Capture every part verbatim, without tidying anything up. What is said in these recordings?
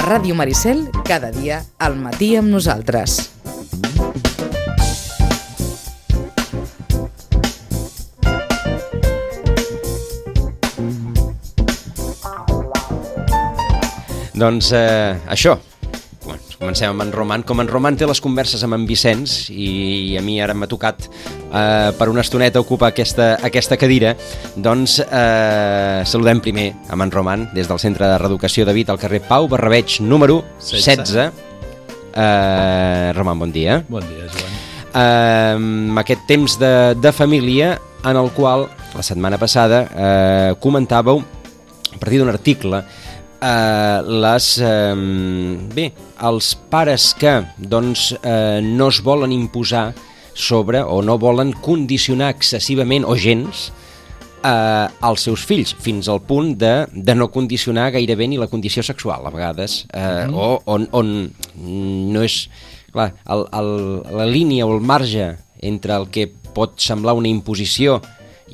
Ràdio Maricel, cada dia al matí amb nosaltres. Doncs eh, això, comencem amb en Roman. Com en Roman té les converses amb en Vicenç i a mi ara m'ha tocat eh, per una estoneta ocupar aquesta, aquesta cadira, doncs eh, saludem primer amb en Roman des del Centre de Reeducació de Vit al carrer Pau Barrabeig número setze. Eh, Roman, bon dia. Bon dia, Joan. Eh, aquest temps de, de família en el qual la setmana passada eh, comentàveu a partir d'un article Uh, les, uh, bé, els pares que doncs, uh, no es volen imposar sobre o no volen condicionar excessivament o gens uh, als seus fills, fins al punt de, de no condicionar gairebé ni la condició sexual, a vegades, uh, mm. o on, on no és... Clar, el, el, la línia o el marge entre el que pot semblar una imposició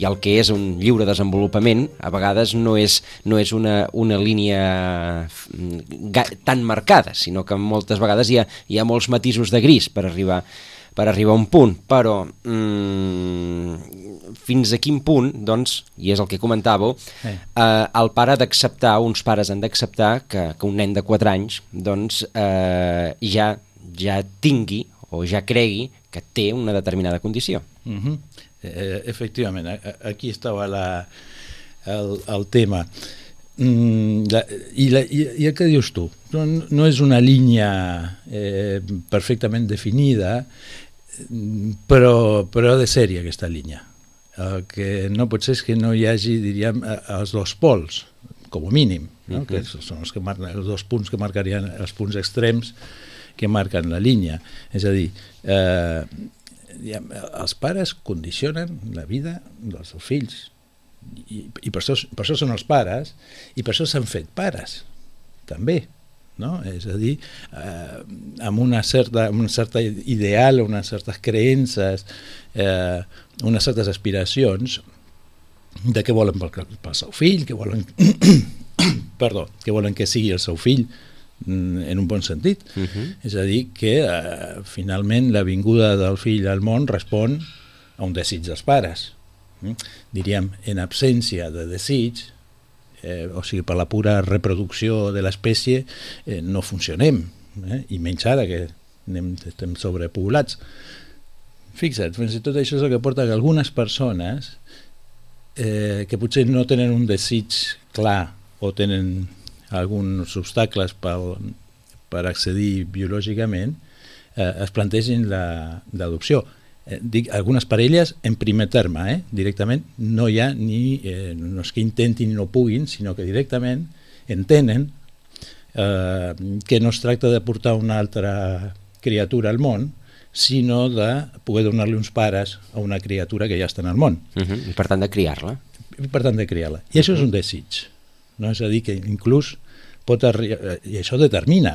i el que és un lliure desenvolupament, a vegades no és, no és una, una línia tan marcada, sinó que moltes vegades hi ha, hi ha molts matisos de gris per arribar, per arribar a un punt. Però mm, fins a quin punt, doncs, i és el que comentàveu, eh. eh, el pare ha d'acceptar, uns pares han d'acceptar que, que un nen de quatre anys doncs, eh, ja, ja tingui o ja cregui que té una determinada condició. Mhm. Eh, efectivament, aquí estava la, el, el tema. Mm, la, i, la, i, I el que dius tu, no, no és una línia eh, perfectament definida, però, però ha de ser-hi aquesta línia. El que no pot ser és que no hi hagi, diríem, els dos pols, com a mínim, no? Uh-huh. Que són els, que marquen, els dos punts que marcarien els punts extrems que marquen la línia. És a dir, eh, els pares condicionen la vida dels seus fills i, i per, això, per això són els pares i per això s'han fet pares també, no? És a dir, eh, amb una certa, una certa ideal, unes certes creences, eh, unes certes aspiracions de què volen pel, pel seu fill, que volen perdó, que volen que sigui el seu fill en un bon sentit. Uh-huh. És a dir, que eh, finalment la vinguda del fill al món respon a un desig dels pares. Mm? Diríem, en absència de desig, eh, o sigui, per la pura reproducció de l'espècie, eh, no funcionem, eh? I menys ara que anem, estem sobrepoblats. Fixa't, fins i tot això és el que porta que algunes persones eh, que potser no tenen un desig clar o tenen alguns obstacles per, per accedir biològicament, eh, es plantegin l'adopció. Eh, dic, algunes parelles en primer terme, eh, directament, no hi ha ni, eh, no és que intentin i no puguin, sinó que directament entenen eh, que no es tracta de portar una altra criatura al món, sinó de poder donar-li uns pares a una criatura que ja està en el món. Uh-huh. I per tant de criar-la. I per tant de criar-la. I uh-huh. això és un desig. No? És a dir, que inclús pot arribar, i això determina,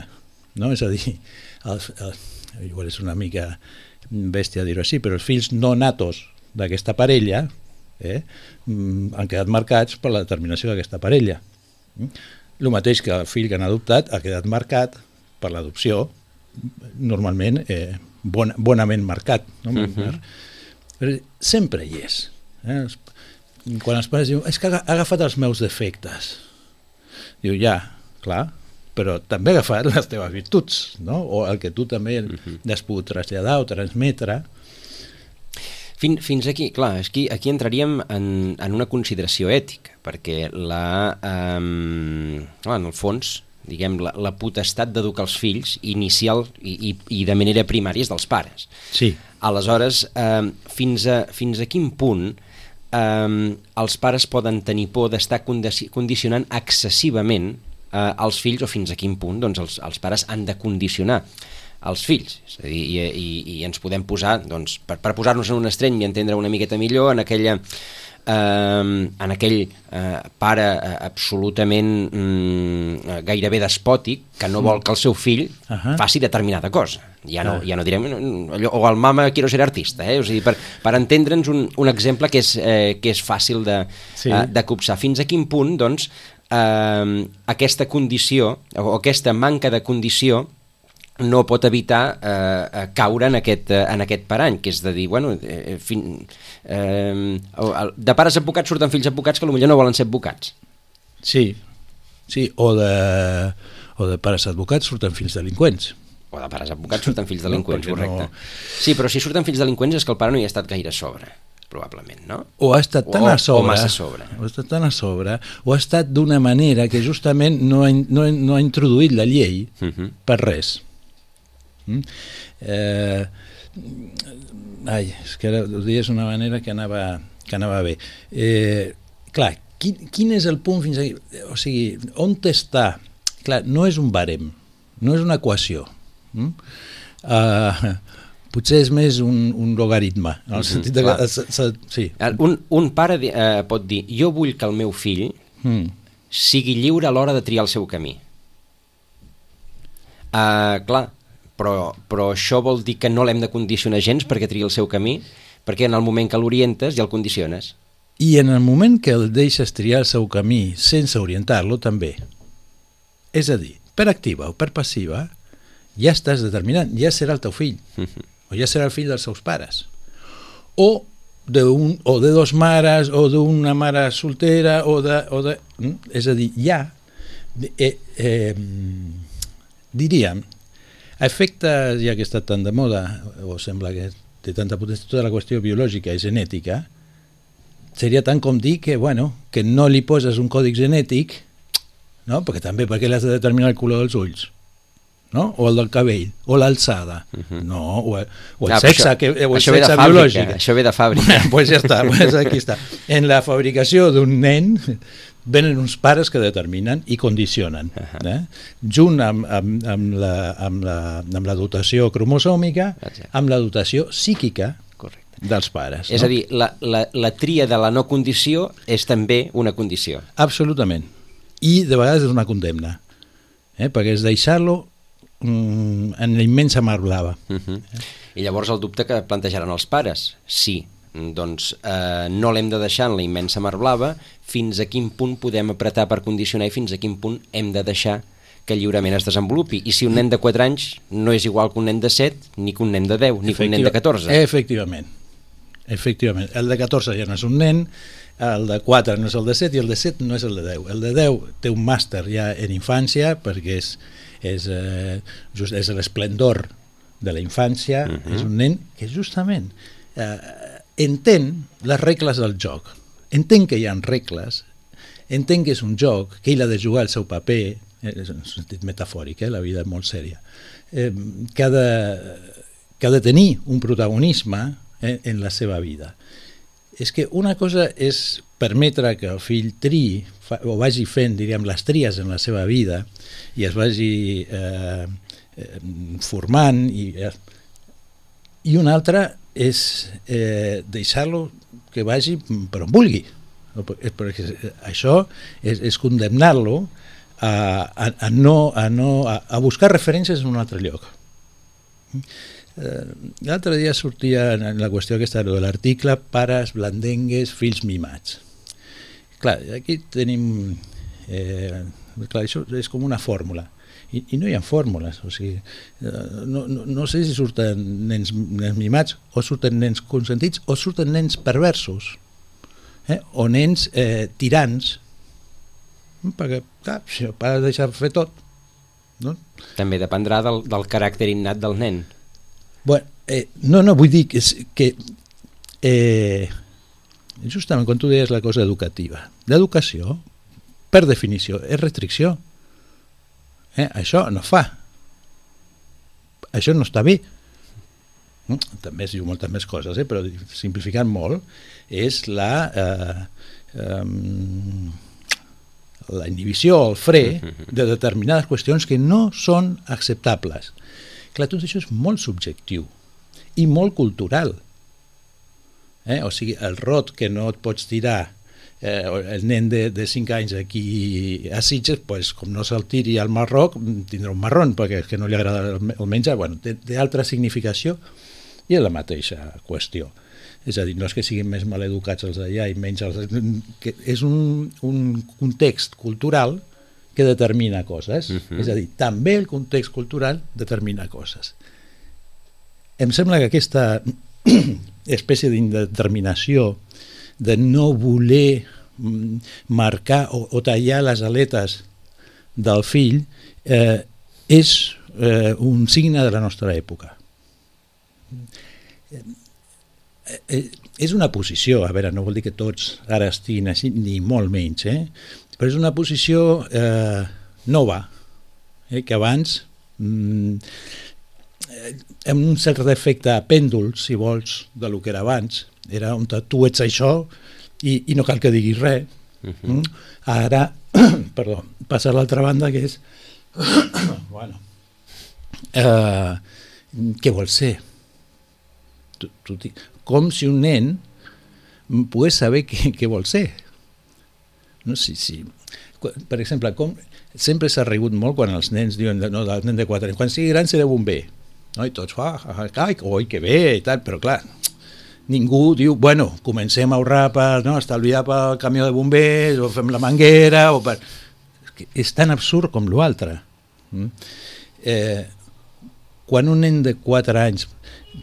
no? És a dir, els, els, igual és una mica bèstia dir-ho així, però els fills no natos d'aquesta parella eh, han quedat marcats per la determinació d'aquesta parella. El mateix que el fill que han adoptat ha quedat marcat per l'adopció, normalment eh, bon, bonament marcat. No? Uh-huh. Però sempre hi és. Eh? Quan els pares diuen, és que ha agafat els meus defectes. Diu, ja, clar, però també ha agafat les teves virtuts, no? O el que tu també uh-huh. has pogut traslladar o transmetre. Fin, fins aquí, clar, aquí, aquí entraríem en, en una consideració ètica, perquè la, um, clar, en el fons, diguem, la, la potestat d'educar els fills inicial i, i, i de manera primària és dels pares. Sí. Aleshores, um, fins, a, fins a quin punt um, els pares poden tenir por d'estar condi- condicionant excessivament uh, els fills, o fins a quin punt doncs, els, els pares han de condicionar els fills. És a dir, i, i, i ens podem posar, doncs, per, per posar-nos en un estreny i entendre una miqueta millor, en aquella eh, en aquell eh, pare eh, absolutament mm, gairebé despòtic que no vol que el seu fill uh-huh. faci determinada cosa. Ja no, ja no direm allò, o el mama quiero ser artista, eh? O sigui, per, per entendre'ns un, un exemple que és, eh, que és fàcil de, sí. eh, de copsar. Fins a quin punt, doncs, eh, aquesta condició, o aquesta manca de condició, no pot evitar eh, caure en aquest, en aquest parany, que és de dir, bueno, eh, fin, eh, de pares advocats surten fills advocats que potser no volen ser advocats. Sí, sí, o de, o de pares advocats surten fills delinqüents. O de pares advocats surten fills delinqüents, no, correcte. No... Sí, però si surten fills delinqüents és que el pare no hi ha estat gaire a sobre, probablement, no? O ha estat tan o, a sobre, o massa a sobre. O ha estat tan a sobre, o ha estat d'una manera que justament no ha, no, no ha introduït la llei uh-huh. per res. Mm? Eh, ai, és que ara ho dies d'una manera que anava, que anava bé. Eh, clar, quin, quin és el punt fins aquí? O sigui, on està? Clar, no és un barem, no és una equació. Mm? Uh, potser és més un, un logaritme, en el sentit de que... Se, se, sí. un, un pare eh, pot dir, jo vull que el meu fill mm. sigui lliure a l'hora de triar el seu camí. Uh, clar, Però, però això vol dir que no l'hem de condicionar gens perquè triï el seu camí, perquè en el moment que l'orientes ja el condiciones. I en el moment que el deixes triar el seu camí sense orientar-lo també. És a dir, per activa o per passiva, ja estàs determinant, ja serà el teu fill, uh-huh. o ja serà el fill dels seus pares. O de, un, o de dos mares, o d'una mare soltera, o de... O de és a dir, ja, eh, eh, diríem, a efectes, ja que està tan de moda, o sembla que té tanta potència, tota la qüestió biològica i genètica, seria tant com dir que, bueno, que no li poses un còdic genètic, no? Perquè també perquè l'has de determinar el color dels ulls, no? O el del cabell, o l'alçada, uh-huh. no, o, o el ah, sexe, això, que, o el sexe biològic. Això ve de fàbrica. Pues ja està, pues aquí està. En la fabricació d'un nen venen uns pares que determinen i condicionen, uh-huh. eh? junt amb, amb, amb, la, amb, la, amb la dotació cromosòmica, exacte. Amb la dotació psíquica correcte. Dels pares. És no? a dir, la, la, la tria de la no condició és també una condició. Absolutament. I de vegades és una condemna, eh? Perquè és deixar-lo mm, en la immensa mar blava. Uh-huh. eh? I llavors el dubte que plantejaran els pares, sí, doncs eh, no l'hem de deixar en la immensa mar blava, fins a quin punt podem apretar per condicionar i fins a quin punt hem de deixar que lliurement es desenvolupi. I si un nen de quatre anys no és igual que un nen de set, ni que un nen de deu, ni que un nen de catorze. Efectivament. Efectivament. El de catorze ja no és un nen, el de quatre no és el de set i el de set no és el de deu. El de deu té un màster ja en infància perquè és, és, eh, just, és l'esplendor de la infància, uh-huh. és un nen que justament eh, entén les regles del joc, entén que hi ha regles, entén que és un joc, que ell ha de jugar el seu paper, és en un sentit metafòric, eh? La vida és molt sèria, eh, que, ha de, que ha de tenir un protagonisme eh, en la seva vida. És que una cosa és permetre que el fill triï, fa, o vagi fent, diríem, les tries en la seva vida i es vagi eh, eh, formant, i, eh, i una altra és eh, deixar-lo que vagi per on vulgui, perquè això és, és condemnar-lo a, a, a, no, a, no, a, a buscar referències en un altre lloc. L'altre dia sortia en la qüestió aquesta de l'article pares blandengues, fills mimats. Clar, aquí tenim eh, clar, això és com una fórmula. I, i no hi ha fórmules, o sigui, no, no, no sé si surten nens, nens mimats o surten nens consentits o surten nens perversos, eh? O nens eh, tirans, perquè clar, si el pare deixa fer tot, no? També dependrà del, del caràcter innat del nen. Bueno, eh, no, no, vull dir que, que eh, justament quan tu deies la cosa educativa, l'educació, per definició, és restricció. Eh, això no fa, això no està bé. També es diu moltes més coses, eh, però simplificant molt és la eh, eh, la inhibició, el fre de determinades qüestions que no són acceptables. Clar, tot això és molt subjectiu i molt cultural, eh? O sigui, el rot que no et pots tirar Eh, el nen de, de cinc anys aquí a Sitges, pues, com no se'l tiri al Marroc, tindrà un marrón perquè és que no li agrada el menjar. Bueno, té, té altra significació i és la mateixa qüestió. És a dir, no és que siguin més maleducats els d'allà i menys els... Que és un, un context cultural que determina coses. Uh-huh. És a dir, també el context cultural determina coses. Em sembla que aquesta espècie d'indeterminació de no voler marcar o, o tallar les aletes del fill eh, és eh, un signe de la nostra època. Eh, és una posició, a veure, no vol dir que tots ara estiguin així, ni molt menys, eh? Però és una posició eh, nova, eh? Que abans, mm, amb un cert efecte a pèndol, si vols, de lo que era abans, era on tu ets això i, i no cal que diguis res. Uh-huh. mm? Ara, perdó, passa a l'altra banda, que és bueno, eh, què vols ser? Tu, tu, com si un nen pogués saber què, què vol ser. No, sí, sí. Per exemple, com, sempre s'ha rigut molt quan els nens diuen, no, el nen de quatre anys, quan sigui gran seré bomber. No? I tots, ah, ah, ah, oi, que bé, i tal, però clar, ningú diu, bueno, comencem a ahorrar per no, estalviar pel camió de bombers, o fem la manguera, o per... És tan absurd com l'altre. Mm? Eh, quan un nen de quatre anys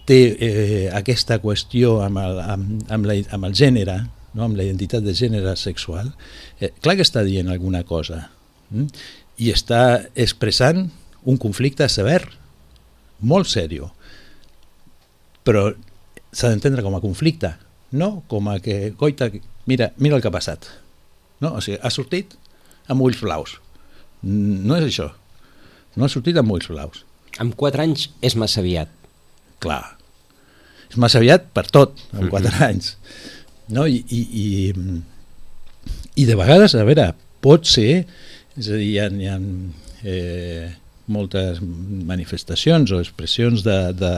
té eh, aquesta qüestió amb el, amb, amb, la, amb el gènere, no? Amb la identitat de gènere sexual, eh, clar que està dient alguna cosa, mm? I està expressant un conflicte sever, molt seriós, però s'ha d'entendre com a conflicte, no com a que, coita, mira, mira el que ha passat. No? O sigui, ha sortit amb ulls blaus. No és això. No ha sortit amb ulls blaus. Amb quatre anys és massa aviat. Clar. És massa aviat per tot, amb quatre uh-huh. anys. No? I, i, i, I de vegades, a veure, pot ser, és a dir, hi ha, hi ha eh, moltes manifestacions o expressions de, de,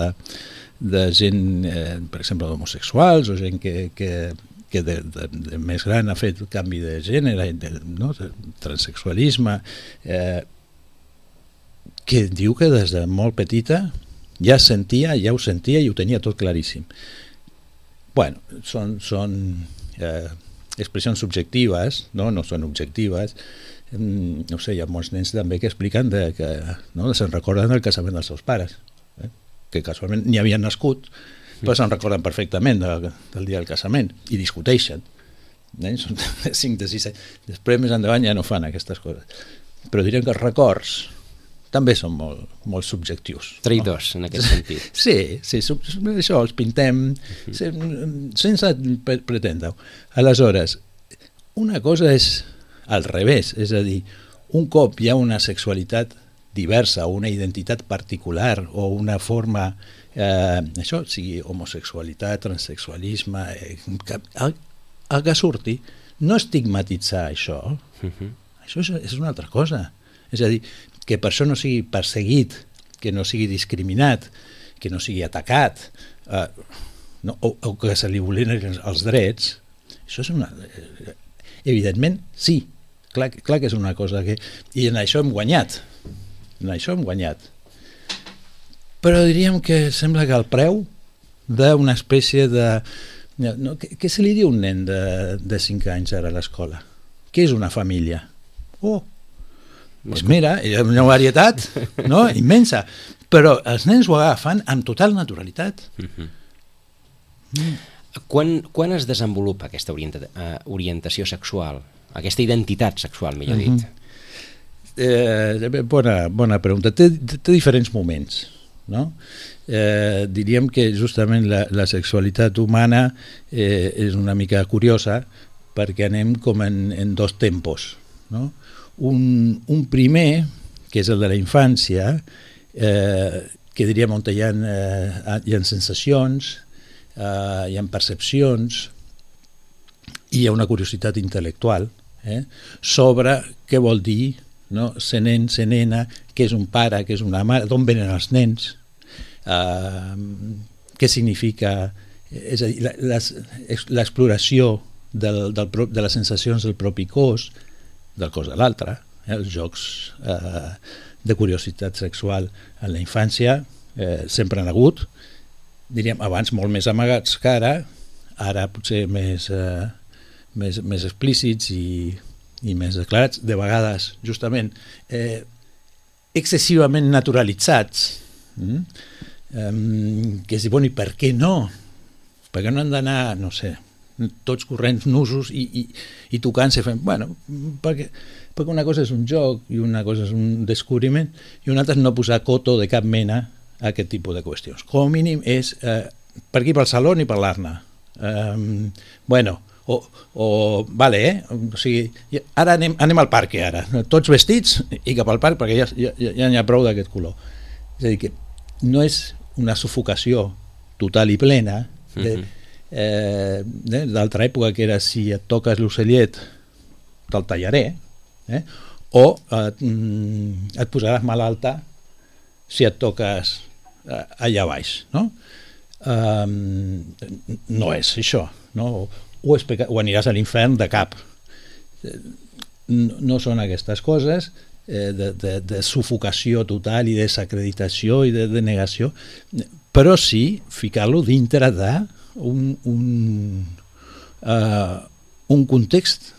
de gent, eh, per exemple, homosexuals o gent que, que, que de, de, de més gran ha fet canvi de gènere, de, no? de transsexualisme, eh, que diu que des de molt petita ja sentia, ja ho sentia i ho tenia tot claríssim. Bueno, són, són eh, expressions subjectives, no, no són objectives. Mm, no sé, hi ha molts nens també que expliquen de, que no, se'n recorden del casament dels seus pares, eh? Que casualment ni havien nascut, però se'n recorden perfectament de, del dia del casament i discuteixen. Eh? Són cinc de sis anys. Després, més endavant, ja no fan aquestes coses. Però direm que els records també són molt, molt subjectius. Traïdors, no? En aquest sentit. Sí, sí, això els pintem sense pretendre-ho. Aleshores, una cosa és al revés, és a dir, un cop hi ha una sexualitat diversa o una identitat particular o una forma, eh, això, sigui homosexualitat, transsexualisme, eh, que, el, el que surti, no estigmatitzar això, uh-huh. Això és, és una altra cosa. És a dir, que per això no sigui perseguit, que no sigui discriminat, que no sigui atacat, eh, no, o, o que se li vulnerin els drets, això és una... Evidentment, sí, clar, clar que és una cosa que... I en això hem guanyat, en això hem guanyat. Però diríem que sembla que el preu d'una espècie de... No, què, què se li diu a un nen de, de cinc anys ara a l'escola? Què és una família? Oh, doncs mira, hi ha una varietat, no? Immensa, però els nens ho agafen amb total naturalitat. Uh-huh. Mm. Quan, quan es desenvolupa aquesta orienta, uh, orientació sexual, aquesta identitat sexual, millor dit? Uh-huh. eh, bona, bona pregunta. Té, té diferents moments, no? Eh, diríem que justament la, la sexualitat humana eh, és una mica curiosa perquè anem com en, en dos tempos, no? Un, un primer, que és el de la infància, eh, que diríem on hi ha, eh, hi ha sensacions, eh, hi ha percepcions, i hi ha una curiositat intel·lectual eh, sobre què vol dir, no? Ser nen, ser nena, què és un pare, què és una mare, d'on venen els nens, eh, què significa, és a dir, l'exploració del, del, de les sensacions del propi cos, del cos de l'altre, eh? Els jocs eh, de curiositat sexual en la infància eh, sempre han hagut, diríem abans molt més amagats que ara, ara potser més, eh, més, més explícits i, i més declarats, de vegades justament eh, excessivament naturalitzats, mm? um, que es diu, bueno, i per què no? Per què no han d'anar, no sé, tots corrents nusos i, i, i tocant-se fent, bueno, perquè, perquè una cosa és un joc i una cosa és un descobriment i una altra és no posar coto de cap mena a aquest tipus de qüestions. Com a mínim és eh, per aquí pel saló ni parlar-ne. Um, bueno, o, o vale, eh? O sigui, ara anem, anem al parc, ara, tots vestits i cap al parc perquè ja, ja, ja n'hi ha prou d'aquest color. És a dir, que no és una sufocació total i plena de, eh, d'altra època que era si et toques l'ocellet te'l tallaré, eh? o et, mm, et posaràs malalta si et toques eh, allà baix, no? Um, no és això, no? O, o, és peca... o aniràs a l'infern de cap. No, no són aquestes coses eh, de, de, de sufocació total i desacreditació i de, de negació, però sí ficar-lo dintre d'un un, uh, un context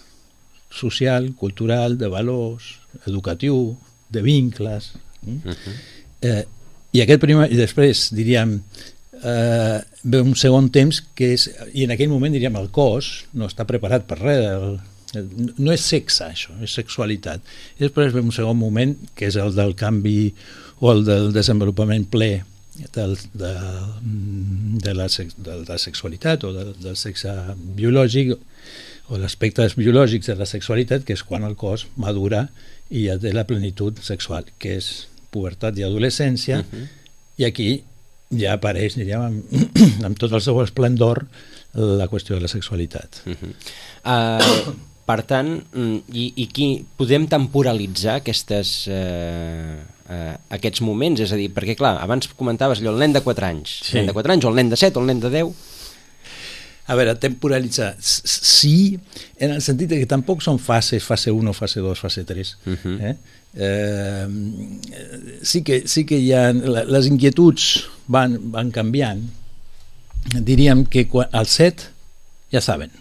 social, cultural, de valors, educatiu, de vincles. Mm? Uh-huh. eh, i aquest primer, i després diríem eh, ve un segon temps que és, i en aquell moment diríem el cos no està preparat per res, el, el, no és sexe això, és sexualitat, i després ve un segon moment que és el del canvi o el del desenvolupament ple del, de, de, la, de la sexualitat o del, del sexe biològic o l'aspectes biològics de la sexualitat, que és quan el cos madura i ja té la plenitud sexual, que és pubertat i adolescència, uh-huh. i aquí ja apareix, diríem, amb, amb tot el seu esplendor la qüestió de la sexualitat. Uh-huh. Uh, per tant, i, i qui, podem temporalitzar aquestes, uh, uh, aquests moments? És a dir, perquè clar, abans comentaves allò, el nen de quatre anys, sí. el nen de quatre anys, o el nen de set, o el nen de deu... A veure, temporalitzar, sí, en el sentit que tampoc són fases, fase u, fase dos, fase tres. Uh-huh. eh? Eh, sí, que, sí que hi ha, les inquietuds van, van canviant. Diríem que quan, al set ja saben,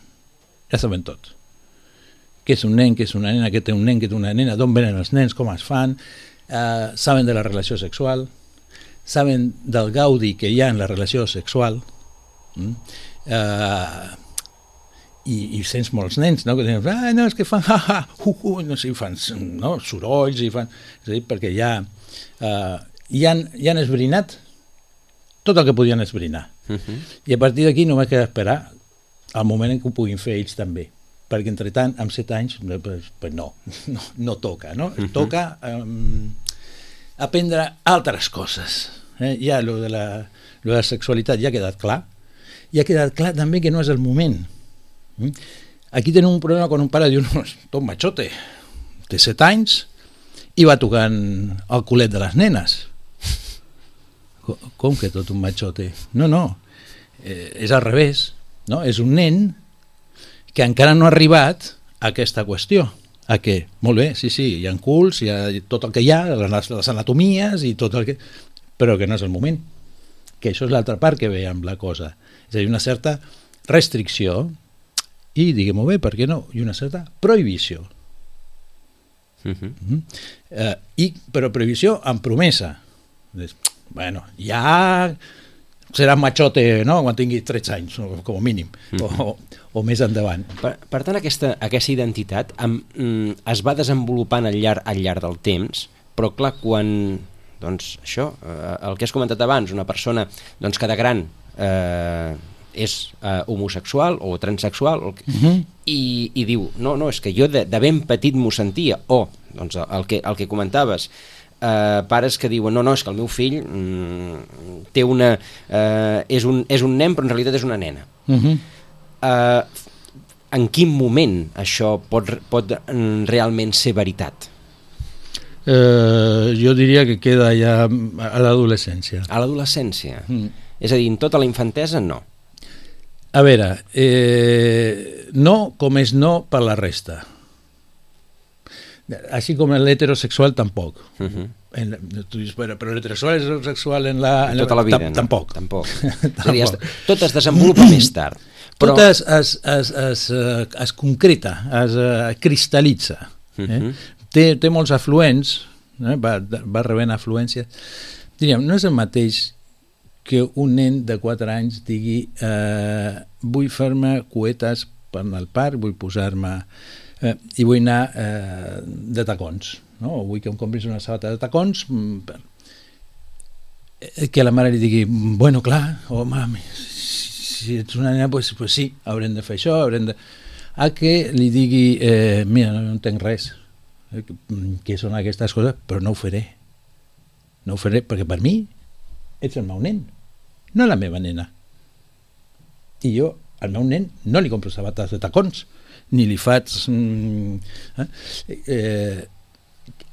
ja saben tot. Què és un nen, què és una nena, què té un nen, què té una nena, d'on venen els nens, com es fan, eh, saben de la relació sexual, saben del gaudi que hi ha en la relació sexual, mm? Uh, i, i sents molts nens, no? Que diuen, ah, no, és que fan ha, ha, hu, hu, no sé, fan no? sorolls i fan, és a dir, perquè ja uh, ja, han, ja han esbrinat tot el que podien esbrinar, uh-huh. i a partir d'aquí només queda esperar al moment en què ho puguin fer ells també, perquè entre tant, amb set anys pues, pues no, no, no toca, no? Uh-huh. Toca um, aprendre altres coses, eh? Ja lo de, la, lo de la sexualitat ja ha quedat clar, i ha quedat clar també que no és el moment. Aquí tenim un problema quan un pare diu, no, tot machote, té set anys i va tocant el culet de les nenes. Com que tot un machote? No, no, eh, és al revés, no? És un nen que encara no ha arribat a aquesta qüestió, a que, molt bé, sí, sí, hi ha culs, hi ha tot el que hi ha, les, les anatomies i tot el que... però que no és el moment, que això és l'altra part que ve amb la cosa. És a dir, una certa restricció i, diguem-ho bé, per què no? I una certa prohibició. Uh-huh. Uh-huh. Uh, i, però prohibició amb promesa. Bueno, ja serà machote, no?, quan tingui tretze anys, com a mínim, uh-huh. o, o més endavant. Per, per tant, aquesta, aquesta identitat amb, mm, es va desenvolupant al llarg, al llarg del temps, però clar, quan... doncs això, eh, el que has comentat abans, una persona doncs, que de gran eh, és eh, homosexual o transexual o, uh-huh. i, i diu, no, no, és que jo de, de ben petit m'ho sentia, o doncs, el, que, el que comentaves, eh, pares que diuen, no, no, és que el meu fill mm, té una, eh, és, un, és un nen però en realitat és una nena. Uh-huh. eh, en quin moment això pot, pot realment ser veritat? Eh, jo diria que queda ja a l'adolescència. A l'adolescència? Mm. És a dir, en tota la infantesa, no. A veure, eh, no com és no per la resta. Així com l'heterosexual tampoc. Uh-huh. En la, tu dius, però, però l'heterosexual és sexual en la... En tota la vida, no? Tampoc. Tampoc. És a dir, es, tot es desenvolupa més tard. Però... Tot es, es, es, es, es concreta, es cristal·litza. Eh? Uh-huh. té, té molts afluents, eh? va, va rebent afluències. Diríem, no és el mateix que un nen de quatre anys digui eh, vull fer-me cuetes per anar al parc, vull posar-me... Eh, i vull anar eh, de tacons. No? O vull que em compris una sabata de tacons, que la mare li digui, bueno, clar, home, si ets una nena, pues, pues sí, haurem de fer això, haurem de... A que li digui, eh, mira, no, no entenc res, eh, què són aquestes coses, però no ho faré. No ho faré, perquè per mi ets el meu nen, no la meva nena. I jo, al meu nen, no li compro sabates de tacons, ni li faig... Eh, eh,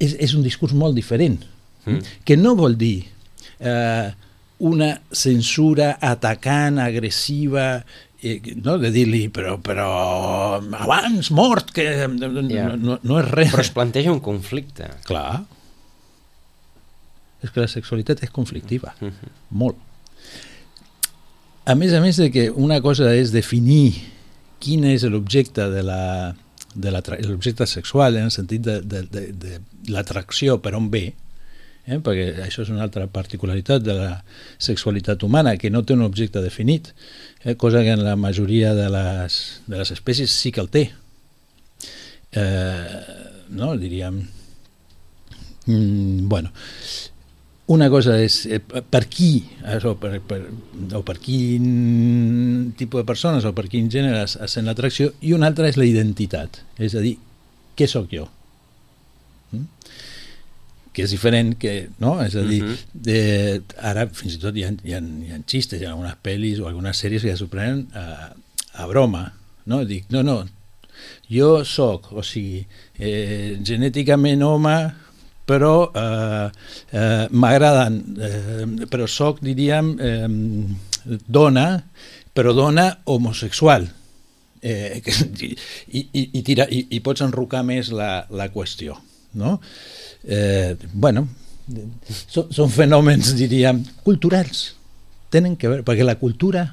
És, és un discurs molt diferent, mm. que no vol dir eh, una censura atacant, agressiva, eh, no? De dir-li, però, però abans mort, que yeah. no, no és res. Però es planteja un conflicte. Clar. És que la sexualitat és conflictiva, mm-hmm. molt. A més a més de que una cosa és definir quin és l'objecte de la... de l'objecte sexual en el sentit de, de, de, de l'atracció per on ve, eh? Perquè això és una altra particularitat de la sexualitat humana, que no té un objecte definit, eh? Cosa que en la majoria de les, de les espècies sí que el té. Eh, no, diríem... Mm, bueno... Una cosa és eh, per qui, o per, per, o per quin tipus de persones o per quin gènere es sent l'atracció, i una altra és la identitat, és a dir, què sóc jo? Mm? Que és diferent, que, no? És a dir, uh-huh. de, ara fins i tot hi ha, hi ha, hi ha xistes, hi ha algunes pel·lis o algunes sèries que ja s'ho prenen a, a broma, no? Dic, no, no, jo soc, o sigui, eh, genèticament home, però eh, eh, m'agraden, eh, però soc, diríem, eh, dona, però dona homosexual. Eh, i, i, i, tira, i, i pots enrocar més la, la qüestió, no? Eh, bueno, són, són fenòmens, diríem, culturals. Tenen que veure, perquè la cultura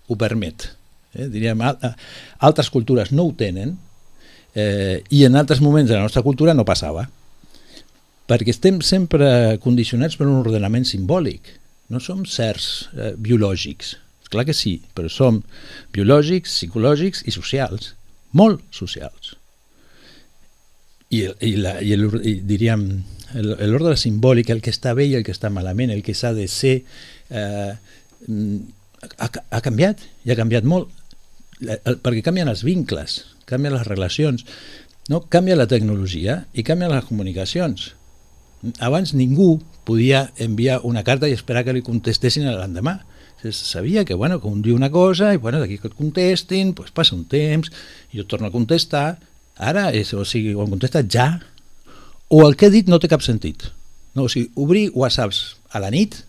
ho permet. Eh? Diríem, altres cultures no ho tenen, eh, i en altres moments de la nostra cultura no passava. Perquè estem sempre condicionats per un ordenament simbòlic. No som certs eh, biològics. Clar que sí, però som biològics, psicològics i socials. Molt socials. I, i, la, i, el, i diríem, l'ordre simbòlic, el que està bé i el que està malament, el que s'ha de ser, eh, ha, ha canviat, i ha canviat molt. Perquè canvien els vincles, canvien les relacions, no? Canvia la tecnologia i canvien les comunicacions. Abans ningú podia enviar una carta i esperar que li contestessin l'endemà. Sabia que, bueno, que un diu una cosa i, bueno, d'aquí que et contestin, pues passa un temps, i jo torno a contestar. Ara, és, o sigui, ho han contestat ja, o el que he dit no té cap sentit. No, o sigui, obrir whatsapps a la nit,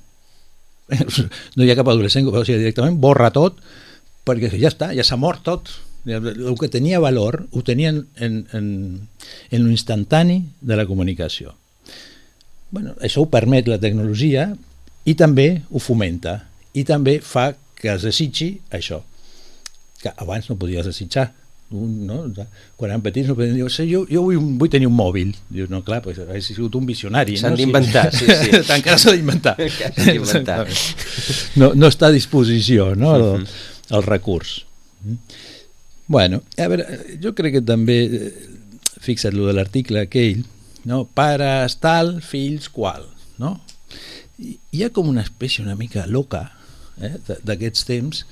no hi ha cap adolescent que, o sigui, directament borra tot, perquè ja està, ja s'ha mort tot. El que tenia valor ho tenien en, en, en l'instantani de la comunicació. Bueno, això ho permet la tecnologia i també ho fomenta i també fa que es desitgi això que abans no podies desitjar. Un, no? Quan eren petits no podien dir, jo, jo vull, vull tenir un mòbil. Dius, no, clar, pues, ha sigut un visionari. S'han no? d'inventar, sí, sí. Encara s'ha d'inventar. d'inventar. No, no està a disposició, no? el, el recurs. Bueno, a veure, jo crec que també, fixa't lo de l'article aquell, no? Pares tal, fills qual, no? I hi ha com una espècie una mica loca eh, d'aquests temps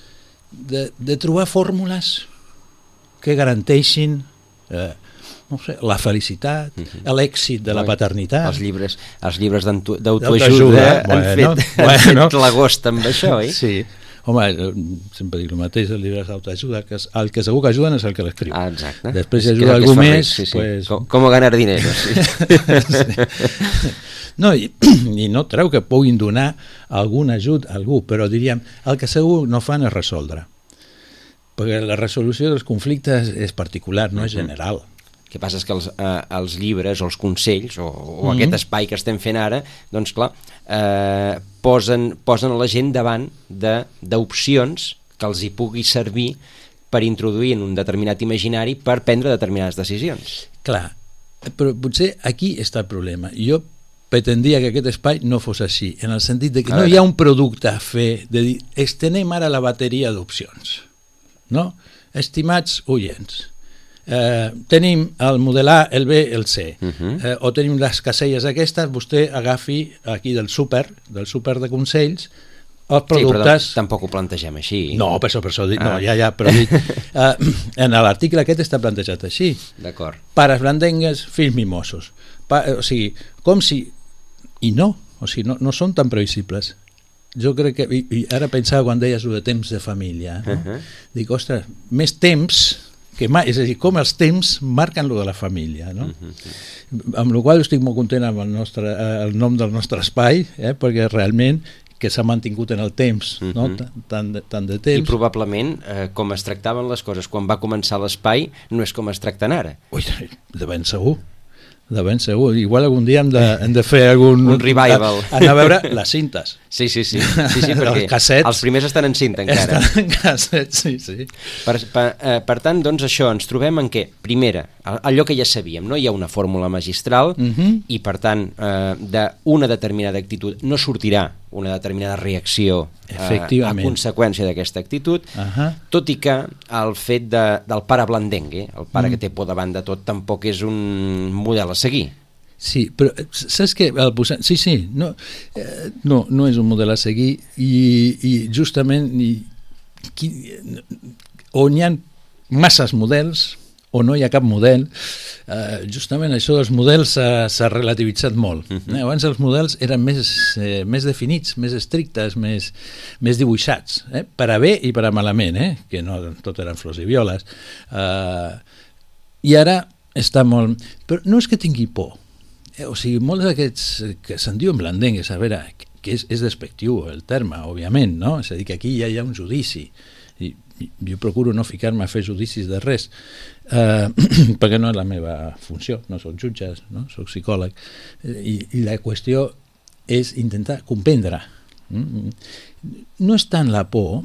de, de trobar fórmules que garanteixin eh, no sé, la felicitat, uh-huh. l'èxit de la paternitat. Els llibres, els llibres d'autoajuda han bueno, fet, bueno. han fet l'agost amb això, oi? Sí. Home, sempre dic el mateix, els llibres d'autoajuda, que el que segur que ajuden és el que l'escriu. Ah, exacte. Després si ajuda algú més... Sí, sí. Pues... Com, com ganar dinero, sí. sí. No, i, i no treu que puguin donar algun ajut a algú, però diríem, el que segur no fan és resoldre. Perquè la resolució dels conflictes és particular, no és general. El que passa és que els, eh, els llibres o els consells o, o Mm-hmm. aquest espai que estem fent ara, doncs clar, eh, posen, posen a la gent davant de- d'opcions que els hi pugui servir per introduir en un determinat imaginari per prendre determinades decisions. Clar, però potser aquí està el problema. Jo pretendria que aquest espai no fos així, en el sentit de que A no veure. hi ha un producte a fer, de dir, estenem ara la bateria d'opcions. No? Estimats oients, eh, tenim el model A, el B, el C, Uh-huh. eh, o tenim les caselles aquestes, vostè agafi aquí del súper, del súper de consells, els Sí, però productes... tam- tampoc ho plantegem així. No, per això, per això, dic, no, Ah. ja, ja, però dic, eh, en l'article aquest està plantejat així. D'acord. Pares blandengues, fills mimosos. Pa, o sigui, com si... I no, o sigui, no, no són tan previsibles. Jo crec que... I, i ara pensava quan deies el de temps de família. No? Uh-huh. Dic, ostres, més temps que mai, és a dir, com els temps marquen lo de la família, no? Uh-huh. Amb la qual estic molt content amb el, nostre, eh, el nom del nostre espai, eh, perquè realment que s'ha mantingut en el temps, uh-huh. no? tant, de, tant de I temps. probablement, eh, com es tractaven les coses quan va començar l'espai, no és com es tracten ara. Ui, de ben segur. De ben segur. Igual algun dia hem de, hem de fer algun... Un revival. Anar a veure les cintes. Sí, sí, sí, sí, sí perquè Els cassets. els primers estan en cinta encara. Estan en cassets, sí, sí. Per, per, eh, per tant, doncs això, ens trobem en què, primera, allò que ja sabíem, no? Hi ha una fórmula magistral Mhm. i per tant, eh, d'una determinada actitud no sortirà una determinada reacció eh, a Efectivament. conseqüència d'aquesta actitud, Ahà. tot i que el fet de, del pare blandengue, el pare mm. que té por davant de tot, tampoc és un model a seguir. Sí, però saps què? El posar... Sí, sí, no, eh, no, no és un model a seguir i, i justament i, qui, on hi ha masses models o no hi ha cap model, eh, justament això dels models s'ha relativitzat molt. Uh-huh. eh? Abans els models eren més, eh, més definits, més estrictes, més, més dibuixats, eh? Per a bé i per a malament, eh? Que no tot eren flors i violes. Eh, I ara està molt... Però no és que tingui por, eh? O sigui, molts d'aquests que se'n diuen blandengues, a veure, que és, és despectiu el terme, òbviament, no? És a dir, que aquí ja hi ha un judici, i jo procuro no ficar-me a fer judicis de res, eh, perquè no és la meva funció, no soc jutge, no? Soc psicòleg, i, i la qüestió és intentar comprendre. No és tant la por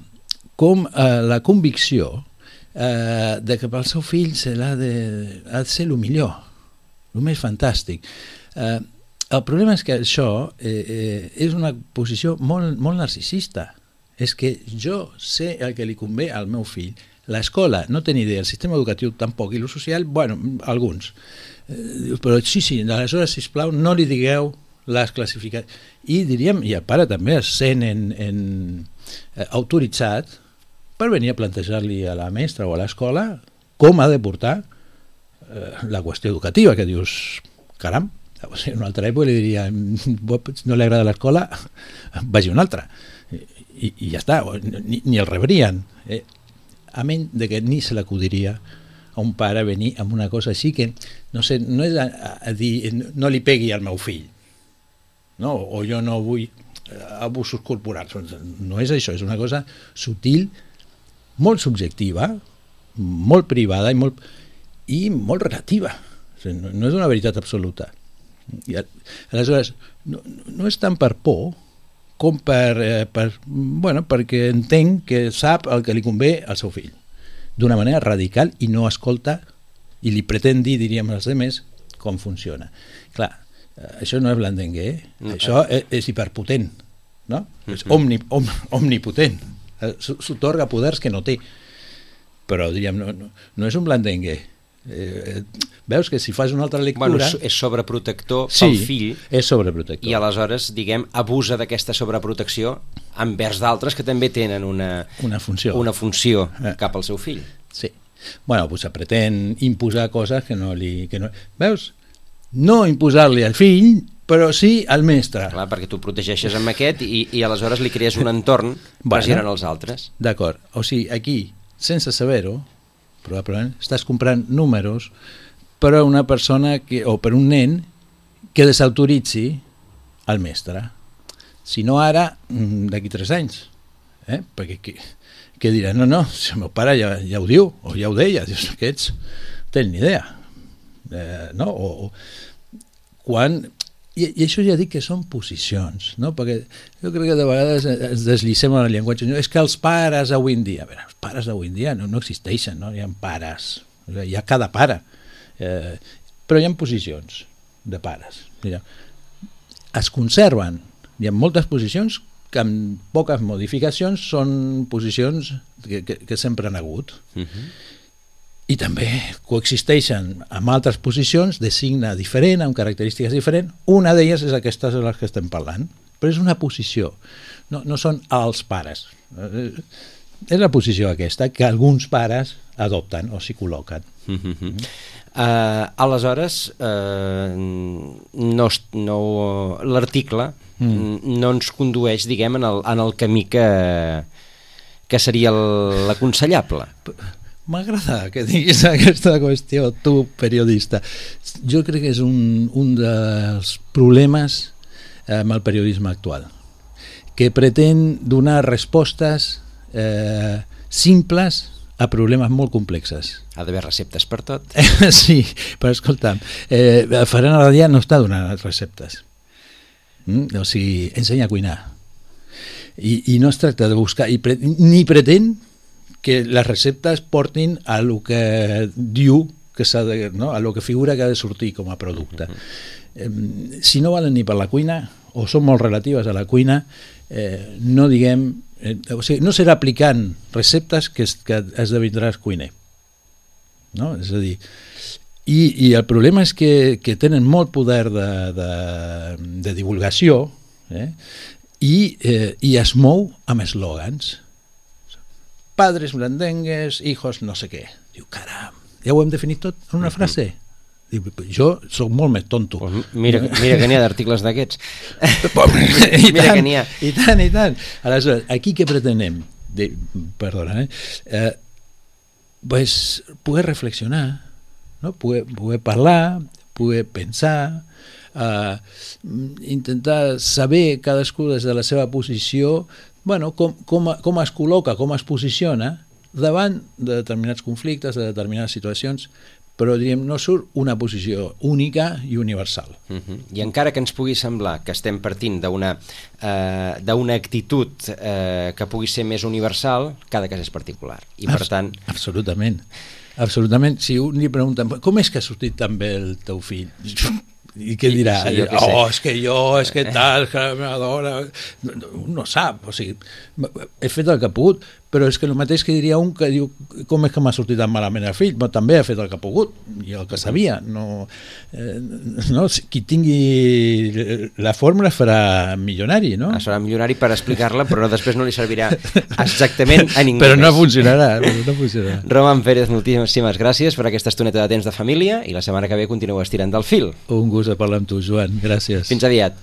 com eh, la convicció eh, de que pel seu fill se l'ha de, ha de ser el millor, el més fantàstic. Eh, el problema és que això eh, eh, és una posició molt, molt narcisista. És que jo sé el que li convé al meu fill. L'escola no té ni idea, el sistema educatiu tampoc, i el social, bueno, alguns. Eh, però sí, sí, aleshores, sisplau, no li digueu les classificacions. I diríem, i el pare també es sent en, en, eh, autoritzat per venir a plantejar-li a la mestra o a l'escola com ha de portar eh, la qüestió educativa, que dius, caram, o sigui, en una altra època li diria, no li agrada l'escola, vagi a una altra. I, i ja està, ni, ni el rebrien, eh? A menys de que ni se l'acudiria a un pare venir amb una cosa així que, no sé, no és a, a dir no li pegui al meu fill, no? O jo no vull abusos corporals, no és això, és una cosa sutil, molt subjectiva, molt privada i molt, i molt relativa, o sigui, no, no és una veritat absoluta. I aleshores, no, no és tant per por com per, eh, per, bueno, perquè entenc que sap el que li convé al seu fill d'una manera radical i no escolta i li pretén dir, diríem els altres, com funciona. Clar, eh, això no és blandengue, eh? No, això és, és hiperpotent, no? Uh-huh. És omni, om, omnipotent, eh, s'atorga poders que no té, però diríem, no, no, no és un blandengue. Eh, veus que si fas una altra lectura... Bueno, és sobreprotector sí, pel fill, és sobreprotector. i aleshores, diguem, abusa d'aquesta sobreprotecció envers d'altres que també tenen una, una funció, una funció eh. cap al seu fill. Sí. Bueno, pues pretén imposar coses que no li... Que no... Veus? No imposar-li al fill, però sí al mestre. Clar, perquè tu protegeixes amb aquest i, i aleshores li crees un entorn bueno, pressionant els altres. D'acord. O sigui, aquí, sense saber-ho, probablement estàs comprant números per a una persona que, o per un nen que desautoritzi el mestre. Si no ara, d'aquí tres anys. Eh? Perquè que, que dirà, no, no, si el meu pare ja, ja ho diu, o ja ho deia, dius, aquests tenen ni idea. eh, no? O, o quan... I, I això ja dic que són posicions, no? Perquè jo crec que de vegades ens desllicem en el llenguatge. No, és que els pares avui en dia... A veure, els pares avui en dia no, no existeixen, no? Hi ha pares, hi ha cada pare. Eh, però hi ha posicions de pares. Mira, es conserven. Hi ha moltes posicions que amb poques modificacions són posicions que, que, que sempre han hagut. Uh-huh. I també coexisteixen amb altres posicions de signe diferent, amb característiques diferents. Una d'elles és aquesta de les que estem parlant, però és una posició, no, no són els pares. És la posició aquesta que alguns pares adopten o s'hi col·loquen. Mm-hmm. uh, aleshores, uh, no, no, l'article mm. no ens condueix, diguem, en el, en el camí que, que seria l'aconsellable. M'agrada que diguis aquesta qüestió, tu, periodista. Jo crec que és un, un dels problemes amb el periodisme actual, que pretén donar respostes eh, simples a problemes molt complexes. Ha d'haver receptes per tot. Sí, però escolta'm, eh, Ferran Adrià no està donant receptes. Mm? O sigui, ensenya a cuinar. I, i no es tracta de buscar, i pre, ni pretén que les receptes portin a lo que diu que s'ha de, no? A lo que figura que ha de sortir com a producte. Eh, si no valen ni per la cuina o són molt relatives a la cuina, eh, no diguem, eh, o sigui, no serà aplicant receptes que, es, que esdevindràs cuiner, no? És a dir, i, i el problema és que, que tenen molt poder de, de, de divulgació, eh? I, eh, i es mou amb eslògans. Padres blandengues, hijos no sé què. Diu, caram, ja ho hem definit tot en una frase? Diu, jo soc molt més tonto. Pues mira, mira que n'hi ha d'articles d'aquests. I, mira tant, que n'hi ha. I tant, i tant. Aleshores, aquí què pretenem? De, perdona, eh? eh pues, poder reflexionar, no? poder, poder parlar, poder pensar, eh, intentar saber cadascú des de la seva posició, bueno, com, com, com es col·loca, com es posiciona davant de determinats conflictes, de determinades situacions, però diríem, no surt una posició única i universal. Uh-huh. I encara que ens pugui semblar que estem partint d'una eh, d'una actitud eh, que pugui ser més universal, cada cas és particular. I per Abs- tant... Absolutament. Absolutament. Si un li pregunta, com és que ha sortit tan bé el teu fill? I què dirà? Sí, sí, oh, és que jo, és que tal, que la meva dona... Un no sap, o sigui, he fet el que ha pogut, però és que el mateix que diria un que diu com és que m'ha sortit tan malament el fill, però també ha fet el que ha pogut i el que sabia. No, eh, no, qui tingui la fórmula farà milionari, no? Serà milionari per explicar-la, però després no li servirà exactament a ningú. Però no funcionarà, no funcionarà. Roman Pérez, moltíssimes gràcies per aquesta estoneta de temps de família i la setmana que ve continueu estirant del fil. Un gust de parlar amb tu, Joan. Gràcies. Fins aviat.